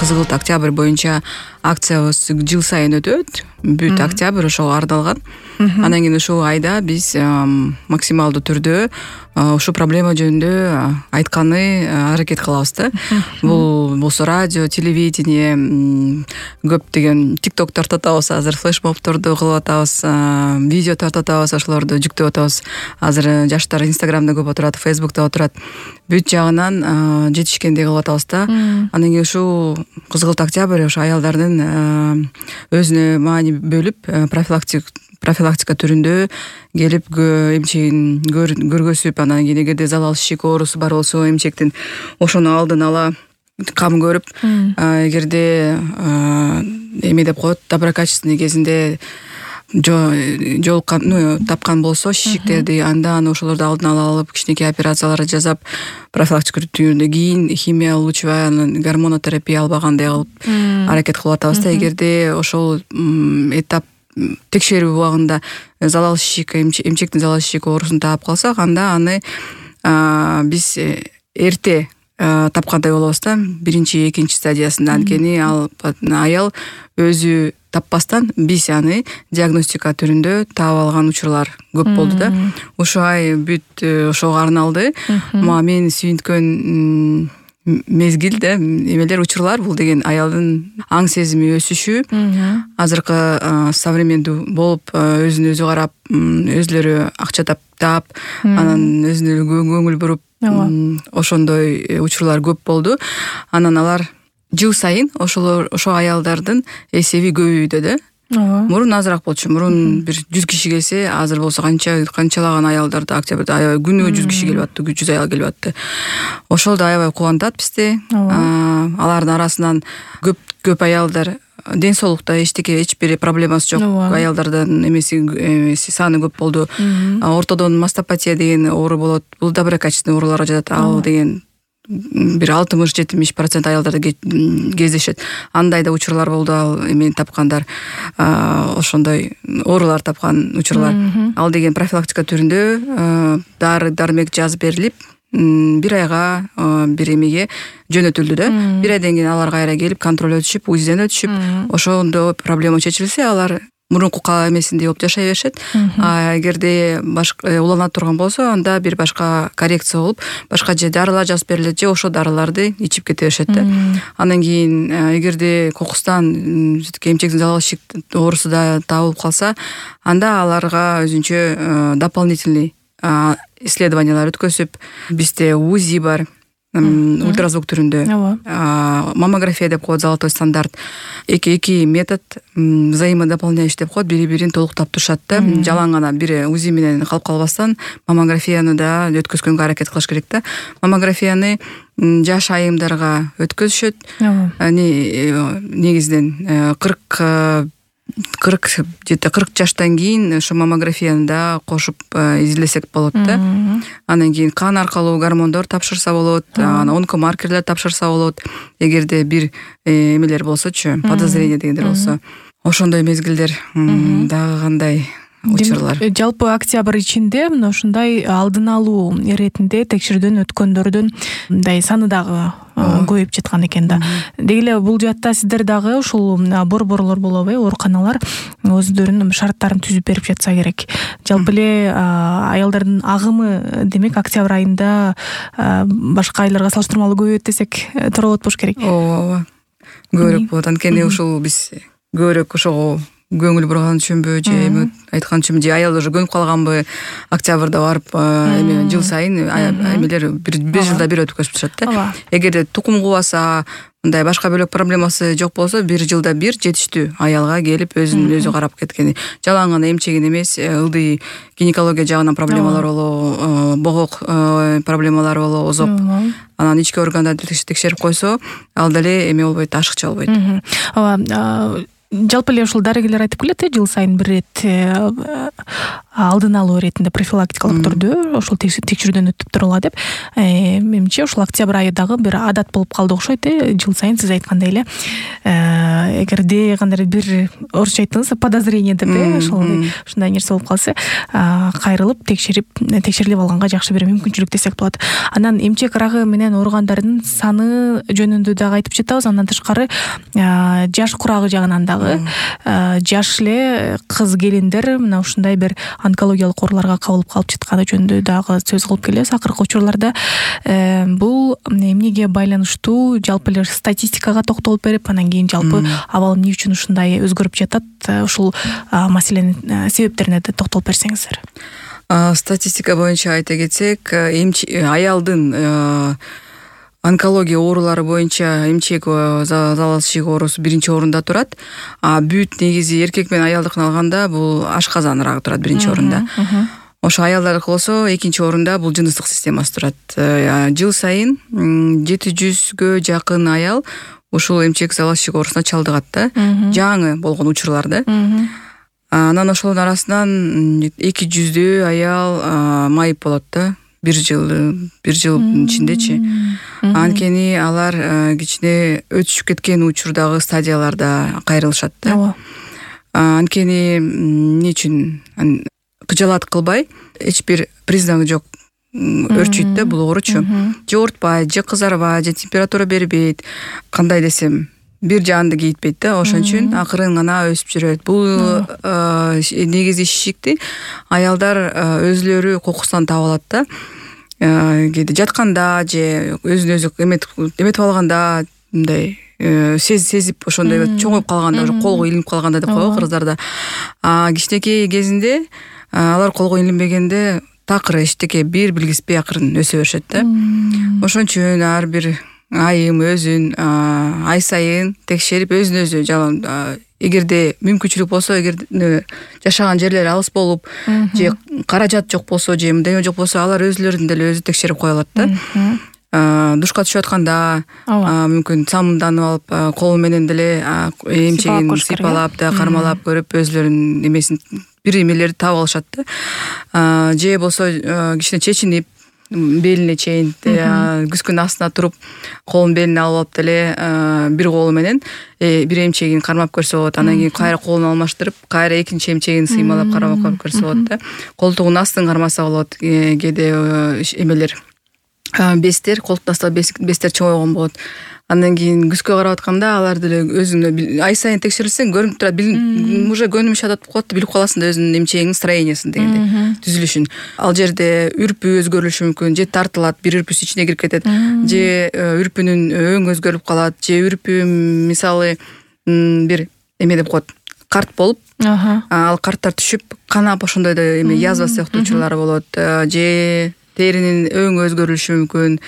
Кызгылт октябрь боюнча акциябыз жыл сайын өтөт. Бүт октябрь ошого арналган. Андан кийин ушул айда биз максималдуу түрдө ушул проблема жөнүндө айтканы аракет кылабыз да. Бул болсо радио, телевидение, көптөгөн TikTok тартатабыз, азыр флешмобторду кылып атабыз, видео тартатабыз, ошолорду жүктөп атабыз. Азыр жаштар Instagramда көп отурат, Facebook'та отурат. Бүт жагынан жетишкендей кылып атабыз да. Андан кийин ушул Кызгылт октябрь ошо аялдардын өзүнө маани бөлүп профилактика түрүндө келип эмчегин көргөзүп, анан кийин эгерде залал ишик оорусу бар болсо эмчектин ошону алдын ала кам көрүп, эгерде эме деп коет, доброкачественный кезинде жолуккан, тапкан болсо шишиктерди, анда ошолорду алдын ала алып, кичинекей операциялар жасап, профилактика түрүндө кийин химия лучевая, анан гормонотерапия албагандай кылып аракет кылып атабыз да. Эгерде ошол этап текшерүү убагында залал шишик, эмчектин залал шишик оорусун таап калсак, анда аны биз эрте тапкандай болобуз да, биринчи, экинчи стадиясында. Анткени ал аял өзү таппастан биз аны диагностика түрүндө таап алган учурлар көп болду да. Ушул ай бүт ошого арналды. Мен сүйүнткөн мезгил да, эмелер, учурлар, бул деген аялдын аң сезими өсүшү, азыркы современдүү болуп, өзүн өзү карап, өзлөрү акча таап, анан өзүнө көңүл буруп, ошондой учурлар көп болду. Анан алар жыл сайын ошо аялдардын эсеби көбөйдү да. Мурун азыраак болчу. Мурун бир 100 киши келсе, азыр болсо канчалаган аялдарды октябрда аябай күнүгө 100 киши келип атты, 100 аял келип атты. Ошол да аябай кубантат бизди. Алардын арасынан көп аялдар ден соолукта эч бир проблемасы жок аялдардын эмеси саны көп болду. Ортодон мастопатия деген оору болот. Бул доброкачественный ооруларга жатат. Ал деген бир 60-70% аялдарда кездешет. Андай да учурлар болду, ал эмени тапкандар, ошондой оорулар тапкан учурлар. Ал деген профилактика түрүндө дары-дармек жазып берилип, бир айга бир эмеге жөнөтүлдү да. Бир айдан кийин алар кайра келип контроль өтүшүп, УЗИден өтүшүп, ошондо проблема чечилсе, алар мурунку эмесиндей болуп жашай беришет. Эгерде башка улана турган болсо, анда бир башка коррекция болуп, башка же дарылар жазып берилет, же ошо дарыларды ичип кете беришет да. Андан кийин эгерде кокустан эмчектин залал шишик оорусу да табылып калса, анда аларга өзүнчө дополнительный исследованиялар өткөзүп, бизде УЗИ бар, ультразвук түрүндө, маммография деп коет, золотой стандарт. Эки метод взаимодополняющий деп коет, бири-бирин толуктап турушат да. Жалаң гана бир УЗИ менен калып калбастан, маммографияны да өткөзгөнгө аракет кылыш керек да. Маммографияны жаш айымдарга өткөзүшөт. Негизинен 40 жаштан кийин ошо маммографияны да кошуп изилдесек болот да. Андан кийин кан аркылуу гормондор тапшырса болот, онкомаркерлер тапшырса болот. Эгерде бир эмелер болсочу, подозрение дегендер болсо, ошондой мезгилдер дагы кандай учурлар. Жалпы октябрь ичинде мына ушундай алдын алуу иретинде текшерүүдөн өткөндөрдүн мындай саны дагы көбөйүп жаткан экен да. Деги эле бул жаатта сиздер дагы ушул борборлор болобу, ооруканалар өздөрүнүн шарттарын түзүп берип жатса керек. Жалпы эле аялдардын агымы, демек, октябрь айында башка айларга салыштырмалуу көбөйөт десек туура болот болуш керек. Ооба. Көбүрөөк болот. Анткени ушул биз көбүрөөк ошого көңүл бурган үчүнбү, же эми айткан үчүнбү, же аял уже көнүп калганбы, октябрда барып эми жыл сайын эмелер бир жылда бир өткөзүп турушат да. Эгерде тукум кубаса, мындай башка бөлөк проблемасы жок болсо, бир жылда бир жетиштүү аялга келип өзүн өзү карап кеткени. Жалаң гана эмчегин эмес, ылдый гинекология жагынан проблемалар болобу, богок проблемалар болобу, озоп, анан ички органдарды текшерип койсо, ал деле эме болбойт, ашыкча болбойт. Жалпы эле ушул дарыгерлер айтып келет, жыл сайын бир рет алдын алуу иретинде профилактикалык түрдө ошол текшерүүдөн өтүп турула деп. билимимче ушул октябрь айы дагы бир адат болуп калды окшойт жыл сайын сиз айткандай эле эгерде кандайдыр бир орусча айттыңыз подозрение деп ушундай нерсе болуп калса кайрылып текшерилип алганга жакшы бир мүмкүнчүлүк десек болот. Анан эмчек рагы менен ооругандардын саны жөнүндө дагы айтып жатабыз. Андан тышкары жаш курагы жагынан дагы жаш эле кыз келиндер мына ушундай бир онкологиялык ооруларга кабылып калып жатканы жөнүндө дагы сөз кылып келебиз акыркы учурларда. Бул эмнеге байланыштуу, жалпы эле статистикага токтолуп берип, анан кийин жалпы абал эмне үчүн ушундай өзгөрүп жатат, ушул маселенин себептерине да токтолуп берсеңиздер. Статистика боюнча айта кетсек, аялдын онкология оорулары боюнча эмчек зал ишик оорусу биринчи орунда турат. Бүт негизи эркек менен аялдыкын алганда бул ашказан рагы турат биринчи орунда. Ошо аялдардыкы болсо экинчи орунда бул жыныстык системасы турат. Жыл сайын 700гө жакын аял ушул эмчек зал ишик оорусуна чалдыгат да. Жаңы болгон учурларда. Анан ошолордун арасынан 200дөй аял майып болот да. Бир жыл ичиндечи. Анткени алар кичине өтүшүп кеткен учурдагы стадияларда кайрылышат да. Анткени эмне үчүн кыжалат кылбай, эч бир признагы жок өрчүйт да бул ооручу. Же оорутпайт, же кызарбайт, же температура бербейт. Кандай десем, бир жанды кейитпейт да. Ошон үчүн акырын гана өсүп жүрөт. Бул негизи шишикти аялдар өзлөрү кокусунан таап алат да. Кээде жатканда же өзүн өзү эметип алганда мындай сезип ошондой чоңоюп калганда, уже колго илинип калганда деп коебу кыргыздарда. Кичинекей кезинде алар колго илинбегенде такыр эчтеке бир билгиспей акырын өсө беришет да. Ошон үчүн ар бир айым өзүн ай сайын текшерип өзүн өзү жалаң эгерде мүмкүнчүлүк болсо, эгер жашаган жерлери алыс болуп же каражат жок болсо же мындай жок болсо, алар өзлөрүн деле өзү текшерип кое алат да. Душка түшүп атканда мүмкүн самынданып алып кол менен деле эмчегин сыйпалап да кармалап көрүп өзлөрүнүн эмесин бир эмелерди таап алышат да. Же болсо кичине чечинип белине чейин күзгүнүн астына туруп колун белине алып деле бир колу менен бир эмчегин кармап көрсө болот. Анан кийин кайра колун алмаштырып, кайра экинчи эмчегин сыймалап кармап көрсө болот да. Колтугунун астын кармаса болот. Кээде эмелер бестер, колтуктун астында бестер чоңойгон болот. Андан кийин күзгө карап атканда алар деле өзүнө ай сайын текшерилсең көрүнүп турат. Уже көнүмүш адат болуп калат, билип каласың да өзүнүн эмчегиңин строениясын дегенде, түзүлүшүн. Ал жерде үрпү өзгөрүлүшү мүмкүн, же тартылат, бир үрпүсү ичине кирип кетет, же үрпүнүн өң өзгөрүп калат, же үрпү мисалы бир эме деп коет, карт болуп, ал карттар түшүп, канап ошондой да эме язва сыяктуу учурлары болот, же теринин өңү өзгөрүлүшү мүмкүн,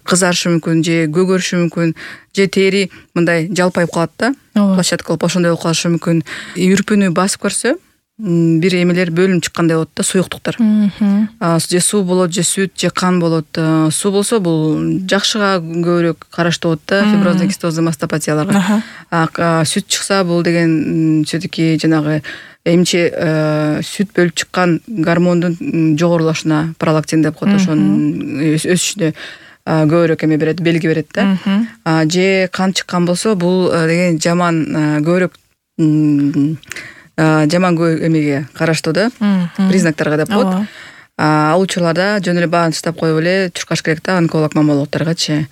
кызарышы мүмкүн, же көгөрүшү мүмкүн, же тери мындай жалпайып калат да, площадка болуп ошондой болуп калышы мүмкүн. Үрпүнү басып көрсө, бир эмелер бөлүнүп чыккандай болот да, суюктуктар. Же суу болот, же сүт, же кан болот. Суу болсо бул жакшыга көбүрөөк караштуу болот да, фиброзный кистозный мастопатияларга. Сүт чыкса бул деген все-таки жанагы эмче сүт бөлүп чыккан гормондун жогорулашына, пролактин деп коет, ошонун өсүшүнө көбүрөөк эме берет, белги берет да. Же кан чыккан болсо, бул деген жаман көбүрөөк жаман эмеге караштуу да, признактарга деп коет. Ал учурларда жөн эле баарын таштап коюп эле чуркаш керек да, онколог маммологторгачы.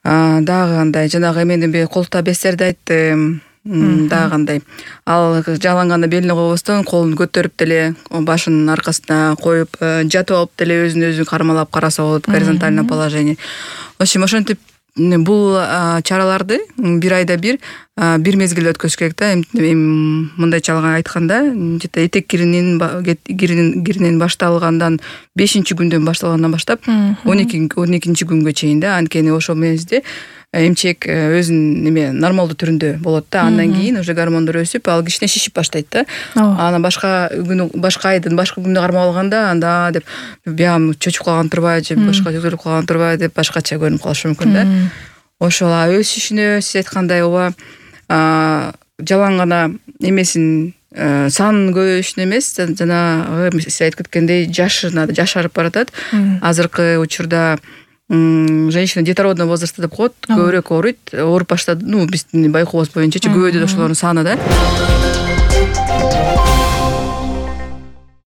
Дагы кандай, жанагы эменин колтута бестерди айттым. Дагы кандай, ал жаланганда белине койбостон колун көтөрүп деле башынын аркасына коюп жатып алып деле өзүн өзү кармалап караса болот, горизонтальное положение. В общем, ошентип бул чараларды бир айда бир мезгилде өткөзүш керек да. Мындайча айтканда, этек киринин башталгандан 5-күндөн башталгандан баштап 12-күнгө чейин да. Анткени ошол мезгилде эмчек өзүнүн эме нормалдуу түрүндө болот да. Андан кийин уже гормондор өсүп, ал кичине шишип баштайт да. Анан башка айдын башка күндө кармап алганда, анда деп биям чөчүп калган турбайбы, же башка өзгөрүп калган турбайбы деп башкача көрүнүп калышы мүмкүн да. Ошол өсүшүнө сиз айткандай ооба жалаң гана эмесин санын көбөйүшүнө эмес, жана сиз айтып кеткендей жашарып баратат. Азыркы учурда женщина детородный возрастта деп коет, көбүрөөк ооруйт, ооруп баштады, биздин байкообуз боюнчачы көбөйдү ошолордун саны да.